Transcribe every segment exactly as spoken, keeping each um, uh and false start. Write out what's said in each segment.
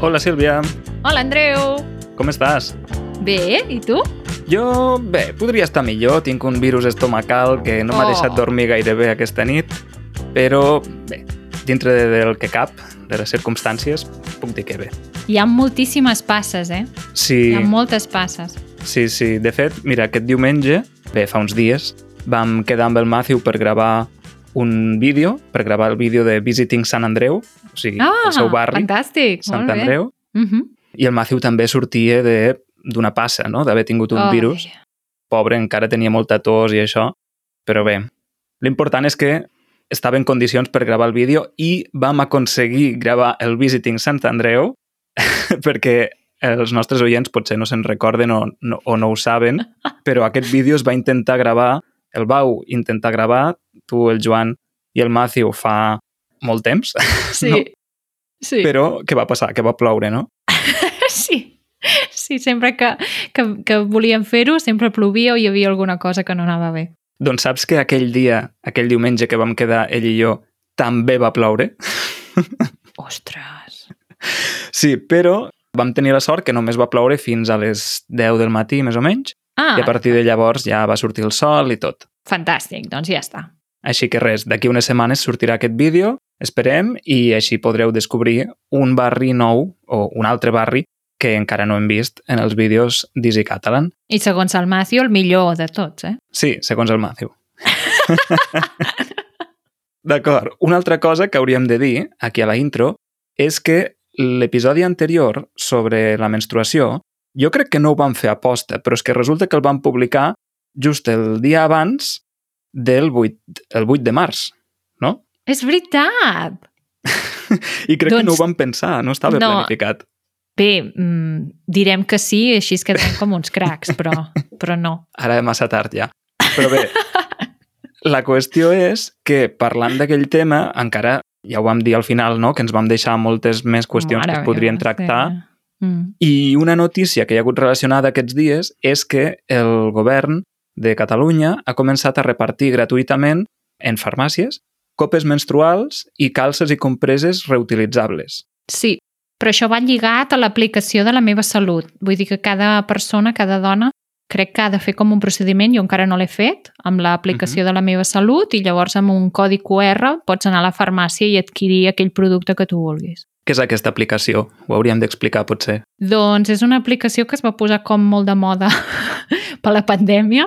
Hola, Sílvia. Hola, Andreu. Com estàs? Bé, i tu? Jo, bé, podria estar millor. Tinc un virus estomacal que no m'ha Oh. deixat dormir gaire bé aquesta nit, però, bé, dintre del que cap, de les circumstàncies, puc dir que bé. Hi ha moltíssimes passes, eh? Sí, Hi ha moltes passes. sí, sí. De fet, mira, aquest diumenge, bé, fa uns dies, vam quedar amb el Matthew per gravar un vídeo, per gravar el vídeo de Visiting Sant Andreu, o sigui, Ah, el seu barri, fantàstic, Sant molt bé. Andreu, Uh-huh. i el Matthew també sortia de d'una passa, no?, d'haver tingut un Ai. virus. Pobre, encara tenia molta tos i això, però bé, l'important és que estava en condicions per gravar el vídeo i vam aconseguir gravar el Visiting Sant Andreu perquè els nostres oients potser no se'n recorden o no, o no ho saben, però aquest vídeo es va intentar gravar, el vau intentar gravar, tu, el Joan i el Matthew fa molt temps, Sí, no? sí. Però què va passar? Que va ploure, no? Sí, sí, sempre que, que, que volíem fer-ho, sempre plovia o hi havia alguna cosa que no anava bé. Doncs saps que aquell dia, aquell diumenge que vam quedar ell i jo, també va ploure? Ostres! Sí, però vam tenir la sort que només va ploure fins a les deu del matí, més o menys, Ah, i a partir de llavors ja va sortir el sol i tot. fantàstic, doncs ja està. Així que res, d'aquí unes setmanes sortirà aquest vídeo, esperem, i així podreu descobrir un barri nou, o un altre barri, que encara no hem vist en els vídeos d'Easy Catalan. I segons el Matthew, el millor de tots, eh? Sí, segons el Matthew. D'acord, una altra cosa que hauríem de dir, aquí a la intro, és que l'episodi anterior sobre la menstruació, jo crec que no ho vam fer a posta, però és que resulta que el vam publicar just el dia abans del vuit, el vuit de març, no? És veritat! I crec Doncs- que no ho vam pensar, no estava No. planificat. Bé, mm, direm que sí, així es quedem com uns cracs, però, però no. Ara és massa tard ja. Però bé, la qüestió és que parlant d'aquell tema, encara, ja ho vam dir al final, no?, que ens vam deixar moltes més qüestions Mare que es podrien meva, tractar. sí. Mm. I una notícia que hi ha hagut relacionada aquests dies és que el govern de Catalunya ha començat a repartir gratuïtament en farmàcies copes menstruals i calces i compreses reutilitzables. Sí, però això va lligat a l'aplicació de la meva salut. Vull dir que cada persona, cada dona, crec que ha de fer com un procediment, jo encara no l'he fet, amb l'aplicació uh-huh. de la meva salut, i llavors amb un codi cu erre pots anar a la farmàcia i adquirir aquell producte que tu vulguis. Què és aquesta aplicació? Ho hauríem d'explicar, potser. Doncs és una aplicació que es va posar com molt de moda per la pandèmia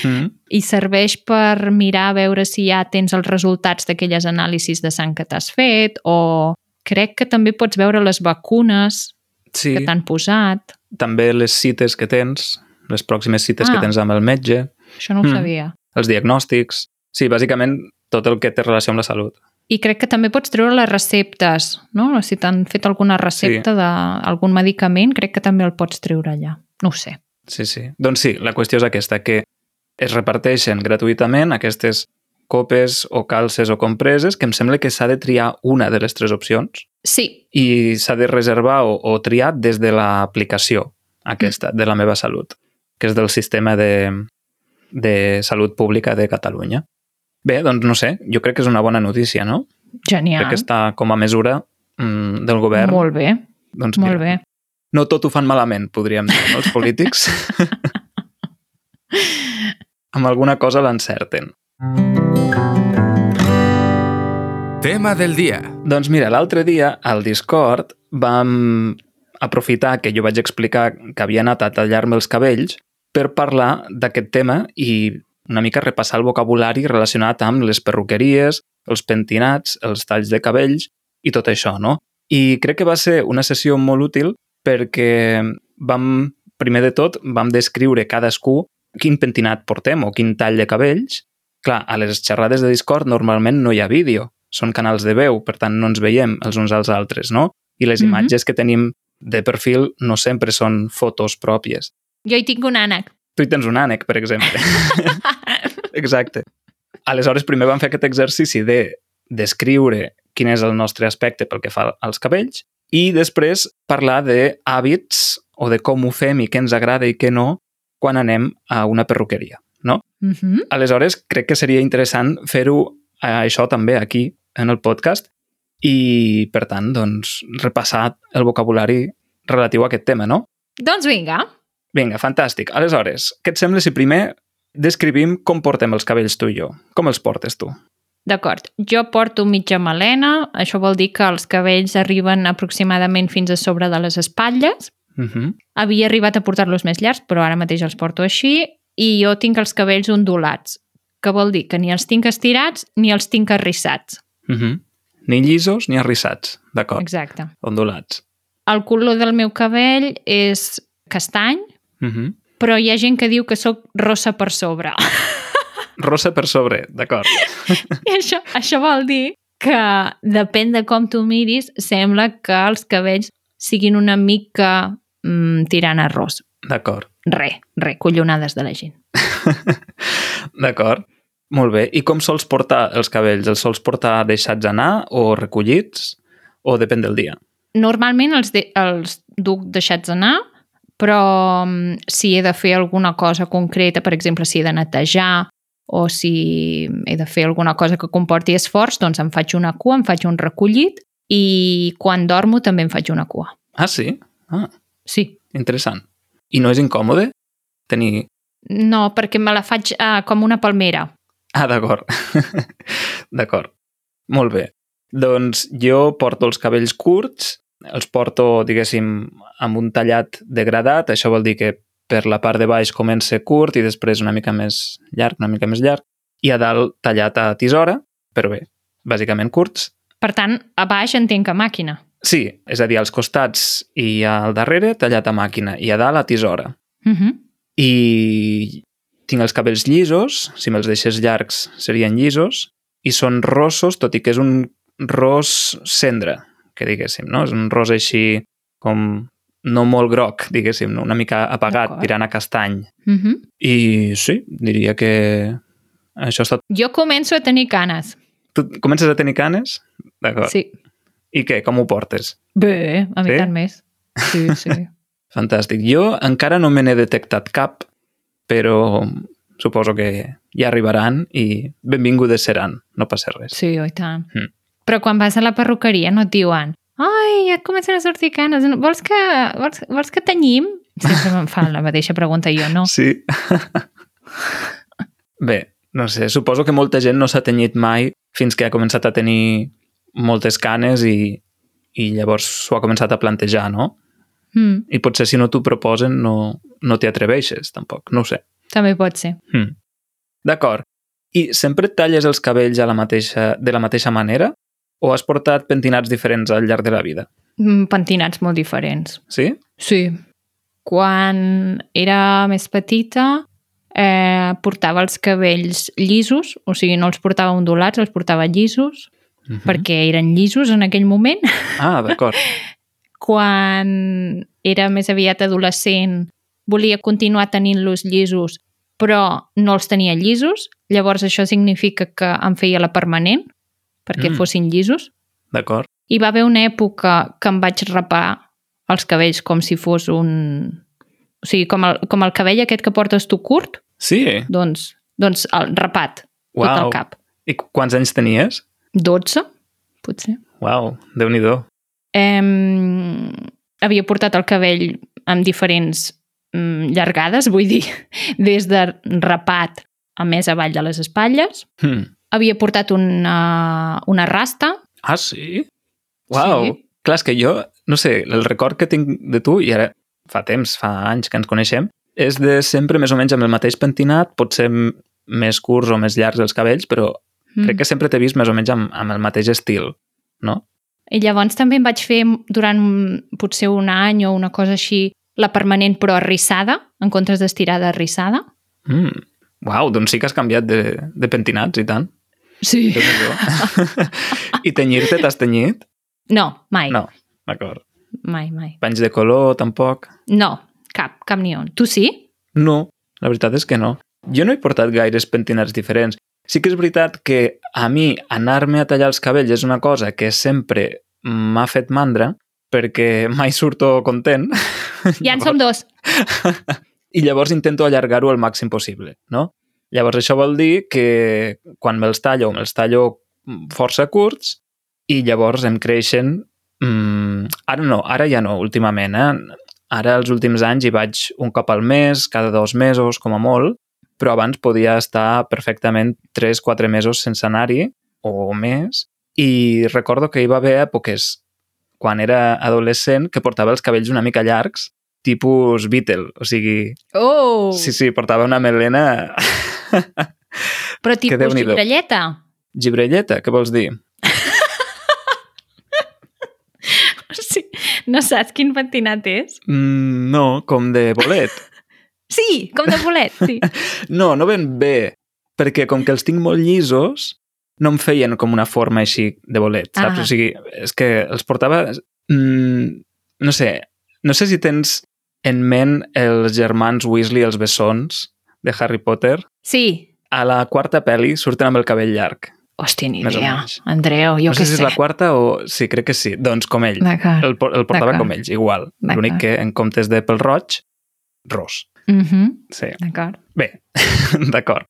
Mm. i serveix per mirar a veure si ja tens els resultats d'aquelles anàlisis de sang que t'has fet, o crec que també pots veure les vacunes Sí, que t'han posat. també les cites que tens, les pròximes cites Ah. que tens amb el metge, Això no ho Mm. sabia. els diagnòstics... Sí, bàsicament tot el que té relació amb la salut. I crec que també pots treure les receptes, no? Si t'han fet alguna recepta Sí. d'algun medicament, crec que també el pots treure allà. No ho sé. Sí, sí. Doncs sí, la qüestió és aquesta, que es reparteixen gratuïtament aquestes copes o calces o compreses, que em sembla que s'ha de triar una de les tres opcions Sí, i s'ha de reservar o, o triar des de l'aplicació aquesta, de la meva salut, que és del sistema de, de salut pública de Catalunya. Bé, doncs no sé, jo crec que és una bona notícia, no? genial. Crec que està com a mesura mm, del govern. Molt bé, Doncs molt mira, bé. no tot ho fan malament, podríem dir, no? Els polítics. Amb alguna cosa l'encerten. Tema del dia. Doncs mira, l'altre dia al Discord vam aprofitar que jo vaig explicar que havia anat a tallar-me els cabells per parlar d'aquest tema i una mica repassar el vocabulari relacionat amb les perruqueries, els pentinats, els talls de cabells i tot això, no? I crec que va ser una sessió molt útil perquè vam, primer de tot, vam descriure cadascú quin pentinat portem o quin tall de cabells. Clar, a les xerrades de Discord normalment no hi ha vídeo, són canals de veu, per tant no ens veiem els uns als altres, no? I les Mhm. imatges que tenim de perfil no sempre són fotos pròpies. Jo hi tinc un ànec. Tu hi tens un ànec, per exemple. Exacte. Aleshores, primer vam fer aquest exercici de descriure quin és el nostre aspecte pel que fa als cabells I després parlar d'hàbits o de com ho fem i què ens agrada i què no quan anem a una perruqueria, no? Mm-hmm. Aleshores, crec que seria interessant fer-ho eh, això també aquí, en el podcast, i, per tant, doncs, repassar el vocabulari relatiu a aquest tema, no? Doncs vinga. Vinga, fantàstic. Aleshores, què et sembla si primer descrivim com portem els cabells tu i jo? Com els portes tu? D'acord. Jo porto mitja melena, això vol dir que els cabells arriben aproximadament fins a sobre de les espatlles. Uh-huh. Havia arribat a portar-los més llargs, però ara mateix els porto així, i jo tinc els cabells ondulats, que vol dir que ni els tinc estirats ni els tinc arrissats. Uh-huh. Ni llisos ni arrissats, d'acord. Exacte. Ondulats. El color del meu cabell és castany, Uh-huh. però hi ha gent que diu que sóc rossa per sobre. Rossa per sobre, d'acord. I això, això vol dir que depèn de com tu miris, sembla que els cabells siguin una mica mm, tirant a ros. D'acord. Re, re, collonades de la gent. D'acord. Molt bé. I com sols portar els cabells? Els sols portar deixats anar o recollits? O depèn del dia? Normalment els, de, els duc deixats anar, però mm, si he de fer alguna cosa concreta, per exemple, si he de netejar o si he de fer alguna cosa que comporti esforç, doncs em faig una cua, em faig un recollit i quan dormo també em faig una cua. Ah, sí? Ah, Sí. interessant. I no és incòmode tenir... No, perquè me la faig uh, com una palmera. Ah, d'acord. D'acord. Molt bé. Doncs jo porto els cabells curts, els porto, diguéssim, amb un tallat degradat. Això vol dir que per la part de baix comença curt i després una mica més llarg, una mica més llarg, i a dalt tallat a tisora, però bé, bàsicament curts. Per tant, a baix entenc a màquina. Sí, és a dir, als costats i al darrere tallat a màquina i a dalt a tisora. Uh -huh. I tinc els cabells llisos, si me'ls deixés llargs serien llisos, i són rossos, tot i que és un ros cendra, que diguéssim, no? És un ros així com no molt groc, diguéssim, no? Una mica apagat, tirant a castany. Uh -huh. I sí, diria que això és tot. Jo començo a tenir canes. Tu comences a tenir canes? D'acord. Sí. I què? Com ho portes? Bé, a mi Sí? tant més. Sí, sí. Fantàstic. Jo encara no me n'he detectat cap, però suposo que ja arribaran i benvingudes seran, no passa res. Sí, oi tant. Mm. Però quan vas a la perruqueria no et diuen ai, ja et comencen a sortir canes, vols que, vols, vols que tenyim? Sempre me'n fan la mateixa pregunta jo, no? Sí. Bé, no sé, suposo que molta gent no s'ha tenyit mai fins que ha començat a tenir moltes canes i, i llavors s'ho ha començat a plantejar, no? Mm, I potser si no t'ho proposen no, no t'hi atreveixes, tampoc, no ho sé. també pot ser. Mm. D'acord. I sempre et talles els cabells a la mateixa, de la mateixa manera o has portat pentinats diferents al llarg de la vida? Mm, pentinats molt diferents. Sí? Sí. Quan era més petita eh, portava els cabells llisos, o sigui, no els portava ondulats, els portava llisos, Uh-huh. perquè eren llisos en aquell moment. Ah, d'acord. Quan era més aviat adolescent volia continuar tenint-los llisos, però no els tenia llisos, llavors això significa que em feia la permanent perquè Mm. fossin llisos. D'acord. I va haver una època que em vaig rapar els cabells com si fos un... O sigui, com el, com el cabell aquest que portes tu curt, Sí? doncs, doncs el rapat, tot Uau. el cap. I quants anys tenies? dotze, potser. Uau, Déu-n'hi-do. Eh, havia portat el cabell amb diferents mm, llargades, vull dir, des de rapat a més avall de les espatlles. Hmm. Havia portat una, una rasta. Ah, sí? Uau. Sí. Clar, és que jo, no sé, el record que tinc de tu, i ara fa temps, fa anys que ens coneixem, és de sempre més o menys amb el mateix pentinat, potser m- més curts o més llargs els cabells, però Mm. crec que sempre t'he vist més o menys amb, amb el mateix estil, no? I llavors també em vaig fer durant potser un any o una cosa així la permanent però arrissada, en comptes d'estirada arrissada. Mm. Uau, doncs sí que has canviat de, de pentinats i tant. Sí. Déu-n'hi-do. I tenyir-te, t'has tenyit? No, mai. No, d'acord. Mai, mai. Panys de color, tampoc? No, cap, cap ni un. Tu sí? No, la veritat és que no. Jo no he portat gaires pentinats diferents. Sí que és veritat que a mi anar-me a tallar els cabells és una cosa que sempre m'ha fet mandra, perquè mai surto content. Ja en som dos. I llavors intento allargar-ho el màxim possible, no? Llavors això vol dir que quan me'ls tallo, me'ls tallo força curts i llavors em creixen... Mm, ara no, ara ja no, últimament, eh? Ara, els últims anys, hi vaig un cop al mes, cada dos mesos, com a molt, però abans podia estar perfectament tres quatre mesos sense anar-hi, o més, i recordo que hi va haver èpoques, quan era adolescent, que portava els cabells una mica llargs, tipus Beatle, o sigui... Oh! Sí, sí, portava una melena... Però tipus gibrelleta? Gibrelleta, què vols dir? Sí, no saps quin pentinat és? Mm, no, com de bolet. Sí, com de bolet, sí. No, no ben bé, perquè com que els tinc molt llisos, no em feien com una forma així de bolet, saps? Ah. O sigui, és que els portava... Mm, no sé, no sé si tens en ment els germans Weasley, els bessons de Harry Potter. Sí. A la quarta pel·li surten amb el cabell llarg. Hòstia, ni Més o idea. menys. Andreu, jo no què sé si és sé. la quarta o... Sí, crec que sí. Doncs com ell. D'acord. El, por- el portava D'acord. com ells, igual. D'acord. L'únic que en comptes de pel roig, ros. Mhm. Sí. D'acord. Bé, d'acord.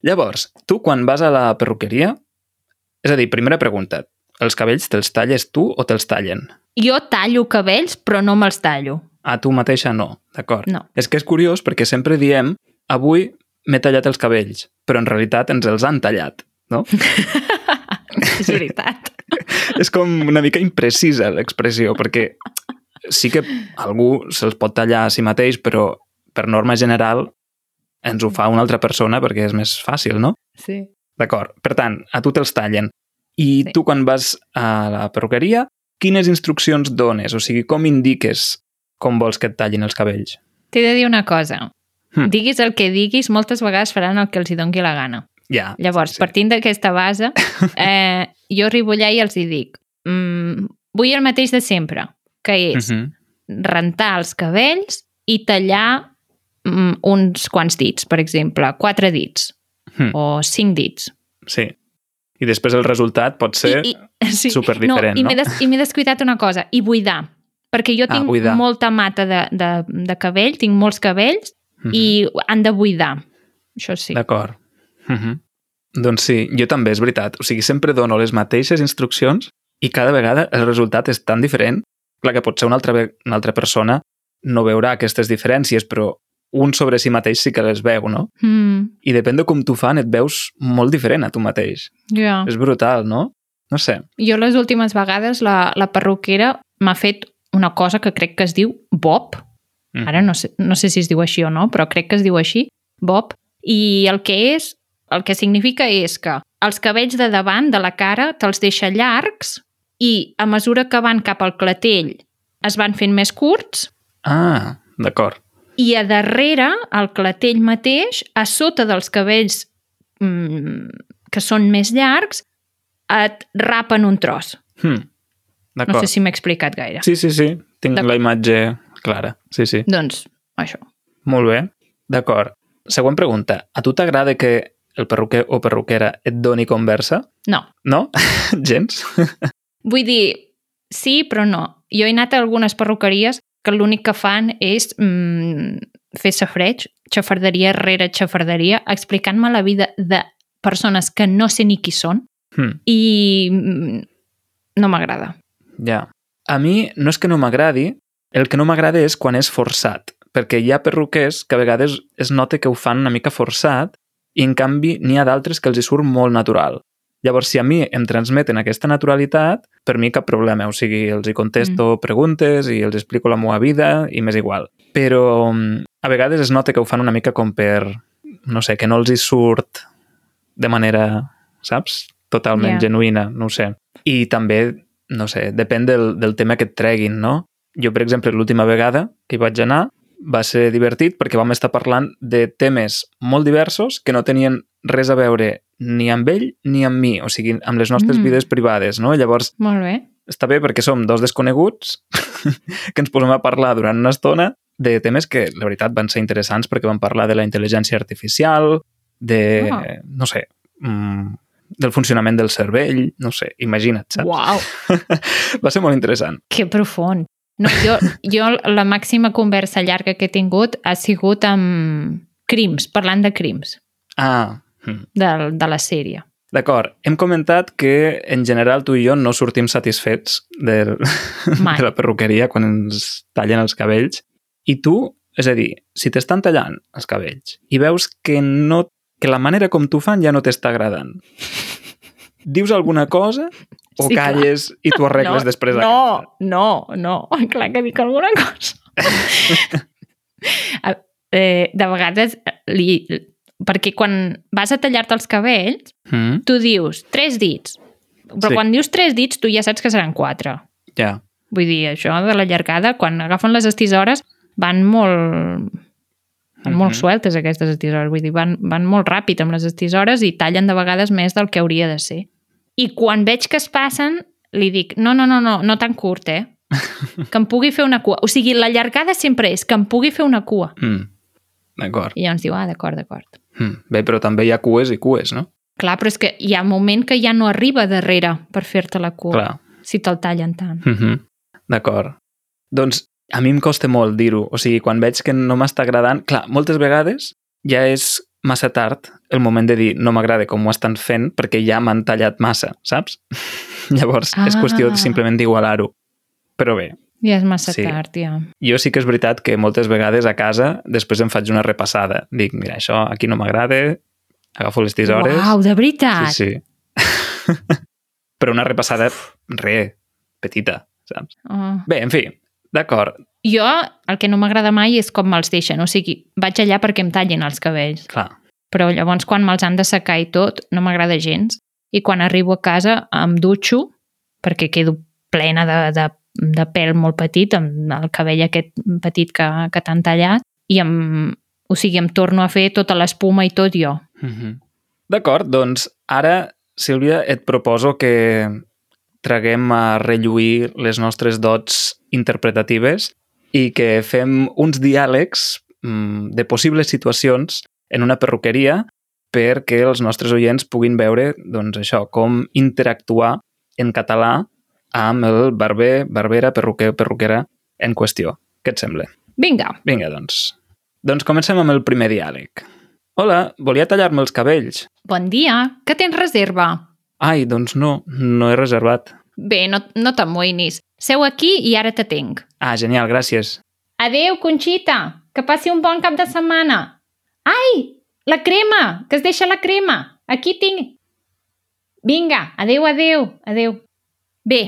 Llavors, tu quan vas a la perruqueria... És a dir, primera pregunta. Els cabells te'ls talles tu o te'ls tallen? Jo tallo cabells, però no me'ls tallo. A tu mateixa no, d'acord? No. És que és curiós perquè sempre diem avui m'he tallat els cabells, però en realitat ens els han tallat, no? És veritat. És com una mica imprecisa l'expressió, perquè sí que algú se'ls pot tallar a si mateix, però per norma general ens ho fa una altra persona perquè és més fàcil, no? Sí. D'acord. Per tant, a tu te'ls tallen. I Sí. tu quan vas a la perruqueria, quines instruccions dones? O sigui, com indiques com vols que et tallin els cabells? T'he de dir una cosa. Hm. Diguis el que diguis, moltes vegades faran el que els hi doni la gana. Ja. Llavors, sí, sí. partint d'aquesta base, eh, jo arribo allà i els hi dic mm, vull el mateix de sempre, que és Mhm. rentar els cabells i tallar mm, uns quants dits, per exemple, quatre dits Hm. o cinc dits. Sí. I després el resultat pot ser I, i, sí. superdiferent, no? I no? m'he des, i m'he descuidat una cosa, i buidar. Perquè jo Ah, tinc buidar. molta mata de, de, de cabell, tinc molts cabells, Mhm. i han de buidar. Això sí. D'acord. Mhm. Doncs sí, jo també, és veritat. O sigui, sempre dono les mateixes instruccions i cada vegada el resultat és tan diferent. Clar que potser una altra, ve- una altra persona no veurà aquestes diferències, però un sobre si mateix sí que les veu, no? Mm, I depèn de com t'ho fan, et veus molt diferent a tu mateix. ja. És brutal, no? No sé. Jo les últimes vegades la, la perruquera m'ha fet una cosa que crec que es diu bob. Mhm. Ara no sé, no sé si es diu així o no, però crec que es diu així, bob. I el que és, el que significa és que els cabells de davant de la cara te'ls deixa llargs i a mesura que van cap al clatell es van fent més curts Ah, d'acord. i a darrere, al clatell mateix, a sota dels cabells mm, que són més llargs, et rapen un tros. Hm. No D'acord. sé si m'he explicat gaire. Sí, sí, sí. Tinc D'acord. la imatge clara. Sí, sí. Doncs, això. Molt bé. D'acord. Següent pregunta. A tu t'agrada que el perruquer o perruquera et doni conversa? No. No? Gens? Vull dir, sí, però no. Jo he anat a algunes perruqueries que l'únic que fan és mm, fer safreig, xafarderia rere xafarderia, explicant-me la vida de persones que no sé ni qui són Hm. i mm, no m'agrada. Ja. A mi no és que no m'agradi, el que no m'agrada és quan és forçat, perquè hi ha perruquers que a vegades es nota que ho fan una mica forçat i en canvi n'hi ha d'altres que els hi surt molt natural. Llavors, si a mi em transmeten aquesta naturalitat, per mi cap problema. O sigui, els hi contesto mm. preguntes i els explico la meva vida i m'és igual. Però mm, a vegades es nota que ho fan una mica com per, no sé, que no els hi surt de manera, saps? Totalment Yeah. genuïna, no ho sé. I també, no sé, depèn del, del tema que et treguin, no? Jo, per exemple, l'última vegada que hi vaig anar va ser divertit perquè vam estar parlant de temes molt diversos que no tenien res a veure ni amb ell ni amb mi, o sigui, amb les nostres Mm. vides privades, no? Llavors, Molt bé. està bé perquè som dos desconeguts que ens posem a parlar durant una estona de temes que, la veritat, van ser interessants perquè vam parlar de la intel·ligència artificial, de, Ah. no sé, mm, del funcionament del cervell, no sé, imagina't, saps? Uau, Va ser molt interessant. que profund. No, jo, jo la màxima conversa llarga que he tingut ha sigut amb crims, parlant de crims, Ah, hm. de, de la sèrie. D'acord. Hem comentat que, en general, tu i jo no sortim satisfets del, Mai. de la perruqueria quan ens tallen els cabells. I tu, és a dir, si t'estan tallant els cabells i veus que, no, que la manera com t'ho fan ja no t'està agradant, dius alguna cosa o Sí, clar. calles i t'ho arregles no, després a no, casa? no, no, clar que dic alguna cosa. eh, de vegades, li, perquè quan vas a tallar-te els cabells, Mm? tu dius tres dits, però Sí. quan dius tres dits tu ja saps que seran quatre. Ja. Vull dir, això de la llargada, quan agafen les estisores, van molt... Van molt Mhm. sueltes aquestes estisores, vull dir, van, van molt ràpid amb les estisores i tallen de vegades més del que hauria de ser. I quan veig que es passen, li dic, no, no, no, no, no tan curt, eh? Que em pugui fer una cua. O sigui, la llargada sempre és que em pugui fer una cua. Mm. D'acord. I llavors diu, ah, d'acord, d'acord. Mm. Bé, però també hi ha cues i cues, no? Clar, però és que hi ha un moment que ja no arriba darrere per fer-te la cua, Clar. si te'l tallen tant. Mm -hmm. D'acord. Doncs a mi em costa molt dir-ho. O sigui, quan veig que no m'està agradant... Clar, moltes vegades ja és massa tard el moment de dir no m'agrada com ho estan fent perquè ja m'han tallat massa, saps? Llavors, ah. és qüestió simplement d'igualar-ho. Però bé, Ja és massa Sí. tard, ja. jo sí que és veritat que moltes vegades a casa després em faig una repassada. Dic, mira, això aquí no m'agrada, agafo les tisores... Uau, de veritat? Sí, sí. Però una repassada, re, petita, saps? Oh. Bé, en fi, d'acord. Jo, el que no m'agrada mai és com me'ls deixen. O sigui, vaig allà perquè em tallin els cabells. Clar. Però llavors, quan me'ls han de secar i tot, no m'agrada gens. I quan arribo a casa em dutxo, perquè quedo plena de, de, de pèl molt petit, amb el cabell aquest petit que, que t'han tallat, i em, o sigui, em torno a fer tota l'espuma i tot jo. Mm-hmm. D'acord, doncs ara, Sílvia, et proposo que traguem a relluir les nostres dots interpretatives i que fem uns diàlegs mm, de possibles situacions en una perruqueria perquè els nostres oients puguin veure, doncs això, com interactuar en català amb el barber, barbera, perruquer, perruquera en qüestió. Què et sembla? Vinga, Vinga, doncs. Doncs comencem amb el primer diàleg. Hola, volia tallar-me els cabells. bon dia, que tens reserva? Ai, doncs no, no he reservat. Bé, no, no t'amoïnis. Seu aquí i ara t'atenc. Ah, genial, gràcies. Adéu, Conxita, que passi un bon cap de setmana. Ai, la crema, que es deixa la crema. Aquí tinc... Vinga, adéu, adéu, adéu. Bé,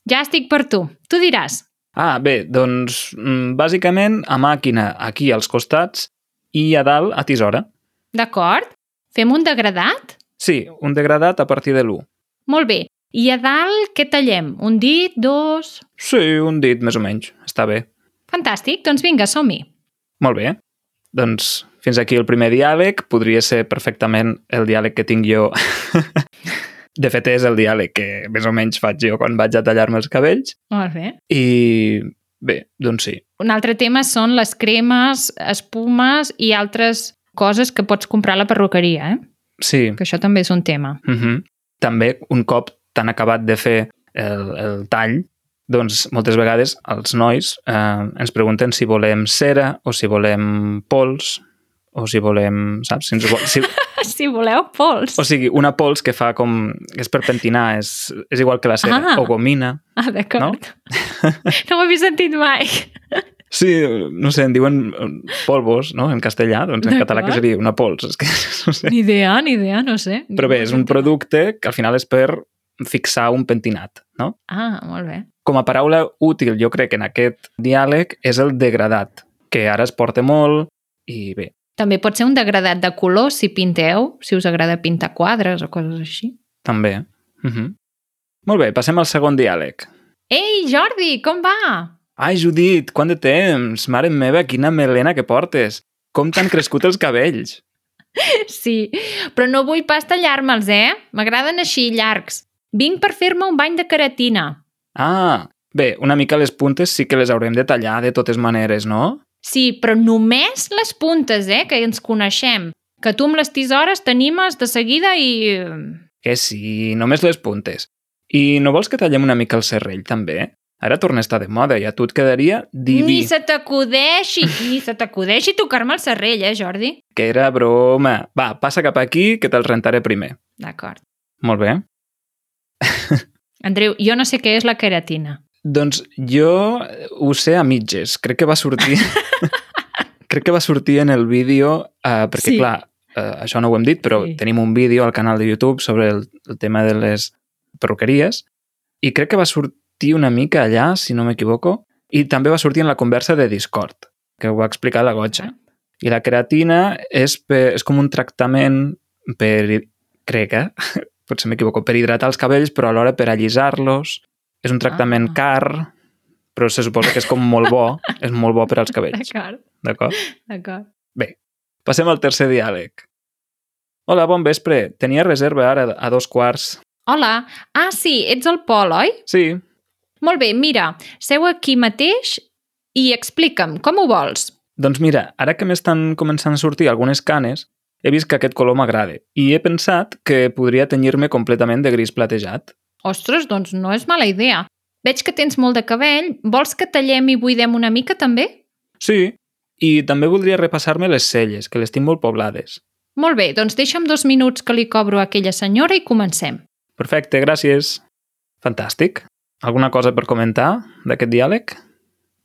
ja estic per tu. Tu diràs. Ah, bé, doncs, mm, bàsicament, a màquina aquí als costats i a dalt a tisora. D'acord? Fem un degradat? Sí, un degradat a partir de l'u. Molt bé. I a dalt què tallem? Un dit, dos... Sí, un dit, més o menys. Està bé. Fantàstic, doncs vinga, som-hi. Molt bé. Doncs fins aquí el primer diàleg. Podria ser perfectament el diàleg que tinc jo. De fet, és el diàleg que més o menys faig jo quan vaig a tallar-me els cabells. Molt bé. I bé, doncs sí. Un altre tema són les cremes, espumes i altres coses que pots comprar a la perruqueria, eh? Sí. Que això també és un tema. Uh-huh. També, un cop t'han acabat de fer el, el tall, doncs moltes vegades els nois eh, ens pregunten si volem cera o si volem pols o si volem, saps? Si ens vol, si, Si voleu, pols. o sigui, una pols que fa com... és per pentinar, és, és igual que la cera. Ah. O gomina. Ah, d'acord. No, no ho havia sentit mai. Sí, no sé, en diuen polvos, no?, en castellà, doncs en català que D'acord. seria una pols, és que no sé. Ni idea, ni idea, no sé. Però bé, és un producte que al final és per fixar un pentinat, no? Ah, molt bé. Com a paraula útil, jo crec, en aquest diàleg és el degradat, que ara es porta molt i bé. També pot ser un degradat de color si pinteu, si us agrada pintar quadres o coses així. També. Uh -huh. Molt bé, passem al segon diàleg. Ei, Jordi, com va? Ai, Judit, quant de temps! Mare meva, quina melena que portes! Com t'han crescut els cabells? Sí, però no vull pas tallar-me'ls, eh? M'agraden així, llargs. Vinc per fer-me un bany de queratina. Ah, bé, una mica les puntes sí que les haurem de tallar de totes maneres, no? Sí, però només les puntes, eh? Que ens coneixem. Que tu amb les tisores t'animes de seguida i... Que sí, només les puntes. I no vols que tallem una mica el serrell, també? Ara torna a estar de moda i a tu et quedaria diví. Ni se t'acudeixi, ni se t'acudeixi tocar-me el serrell, eh, Jordi? Que era broma. Va, passa cap aquí, que te'l rentaré primer. D'acord. Molt bé. Andreu, jo no sé què és la queratina. Doncs jo ho sé a mitges. Crec que va sortir... Crec que va sortir en el vídeo, uh, perquè Sí. clar, uh, això no ho hem dit, però Sí. tenim un vídeo al canal de YouTube sobre el, el tema de les perruqueries i crec que va sortir una mica allà, si no m'equivoco, i també va sortir en la conversa de Discord, que ho va explicar la Gotxa. I la queratina és, per, és com un tractament per, crec, eh? potser m'equivoco, per hidratar els cabells, però alhora per allisar-los. És un tractament Ah. car, però se suposa que és com molt bo, és molt bo per als cabells. D'acord, D'acord? d'acord. Bé, passem al tercer diàleg. Hola, bon vespre. Tenia reserva ara a dos quarts. Hola. Ah, sí, ets el Pol, oi? Sí, Molt bé, mira, seu aquí mateix i explica'm, com ho vols? doncs mira, ara que m'estan començant a sortir algunes canes, he vist que aquest color m'agrada i he pensat que podria tenyir-me completament de gris platejat. Ostres, doncs no és mala idea. Veig que tens molt de cabell. Vols que tallem i buidem una mica, també? Sí, i també voldria repassar-me les celles, que les tinc molt poblades. Molt bé, doncs deixa'm dos minuts que li cobro a aquella senyora i comencem. Perfecte, gràcies. Fantàstic. Alguna cosa per comentar d'aquest diàleg?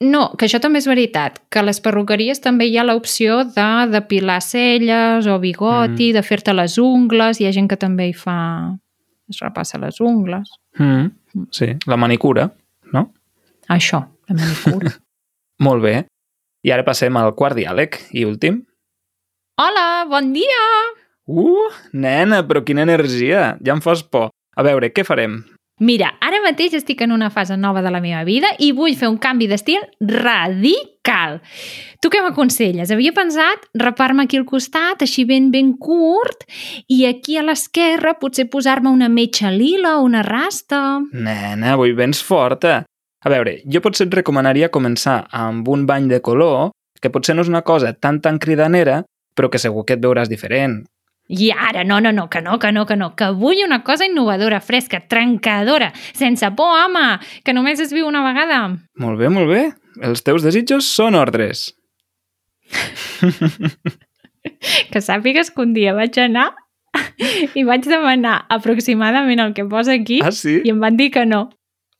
No, que això també és veritat, que a les perruqueries també hi ha l'opció de depilar celles o bigoti, mm. de fer-te les ungles, hi ha gent que també hi fa... es repassa les ungles. Mm, sí, la manicura, no? Això, la manicura. Molt bé. I ara passem al quart diàleg i últim. Hola, bon dia! Uh, nena, però quina energia! Ja em fas por. A veure, què farem? Mira, ara mateix estic en una fase nova de la meva vida i vull fer un canvi d'estil radical. Tu què m'aconselles? Havia pensat rapar-me aquí al costat, així ben ben curt, i aquí a l'esquerra potser posar-me una metxa lila o una rasta. Nena, avui vens forta. A veure, jo potser et recomanaria començar amb un bany de color, que potser no és una cosa tan tan cridanera, però que segur que et veuràs diferent. I ara, no, no, no, que no, que no, que no, que vull una cosa innovadora, fresca, trencadora, sense por, home, que només es viu una vegada. Molt bé, molt bé. Els teus desitjos són ordres. Que sàpigues que un dia vaig anar i vaig demanar aproximadament el que posa aquí Ah, sí? i em van dir que no.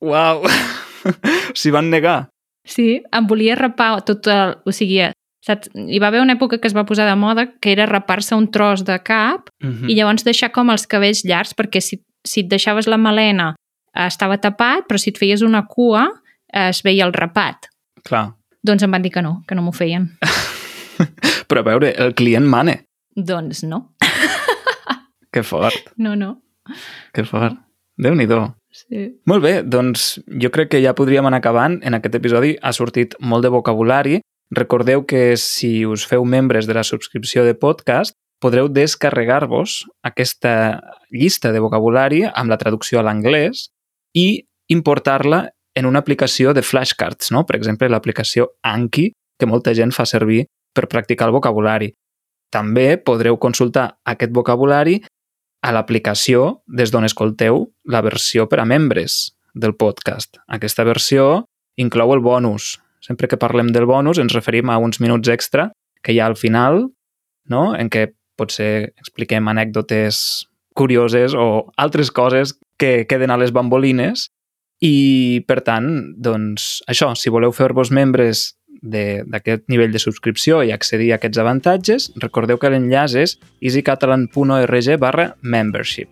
Uau! S'hi van negar. Sí, em volia rapar tot el... O sigui, saps? Hi va haver una època que es va posar de moda que era rapar-se un tros de cap Mm i llavors deixar com els cabells llargs, perquè si, si et deixaves la melena eh, estava tapat, però si et feies una cua eh, es veia el rapat. Clar. Doncs em van dir que no, que no m'ho feien. Però a veure, el client mane. Doncs no. Que fort, No, no. que fort. Déu-n'hi-do. Sí. Molt bé, doncs jo crec que ja podríem anar acabant. En aquest episodi ha sortit molt de vocabulari. Recordeu que si us feu membres de la subscripció de podcast, podreu descarregar-vos aquesta llista de vocabulari amb la traducció a l'anglès i importar-la en una aplicació de flashcards, no? Per exemple, l'aplicació Anki, que molta gent fa servir per practicar el vocabulari. També podreu consultar aquest vocabulari a l'aplicació des d'on escolteu la versió per a membres del podcast. Aquesta versió inclou el bonus. Sempre que parlem del bonus ens referim a uns minuts extra que hi ha al final, no? En què potser expliquem anècdotes curioses o altres coses que queden a les bambolines i, per tant, doncs, això, si voleu fer-vos membres d'aquest nivell de subscripció i accedir a aquests avantatges, recordeu que l'enllaç és easycatalan.org barra membership.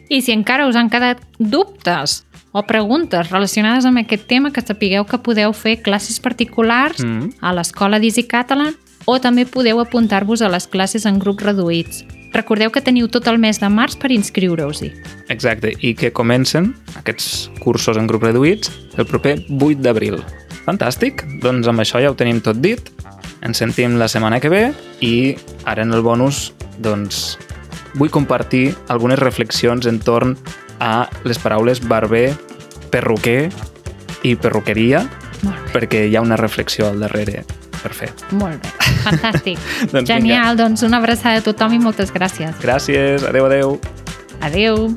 I si encara us han quedat dubtes o preguntes relacionades amb aquest tema, que sapigueu que podeu fer classes particulars Mm. a l'escola d'Easy Catalan o també podeu apuntar-vos a les classes en grups reduïts. Recordeu que teniu tot el mes de març per inscriure-us-hi. Exacte, i que comencen aquests cursos en grups reduïts el proper vuit d'abril. Fantàstic, doncs amb això ja ho tenim tot dit. Ens sentim la setmana que ve i ara en el bonus doncs vull compartir algunes reflexions entorn a les paraules barber, perruquer i perruqueria, Molt bé. perquè hi ha una reflexió al darrere per fer. Molt bé, fantàstic. Doncs vinga. Genial, doncs una abraçada a tothom i moltes gràcies. Gràcies, adeu, adeu. Adeu!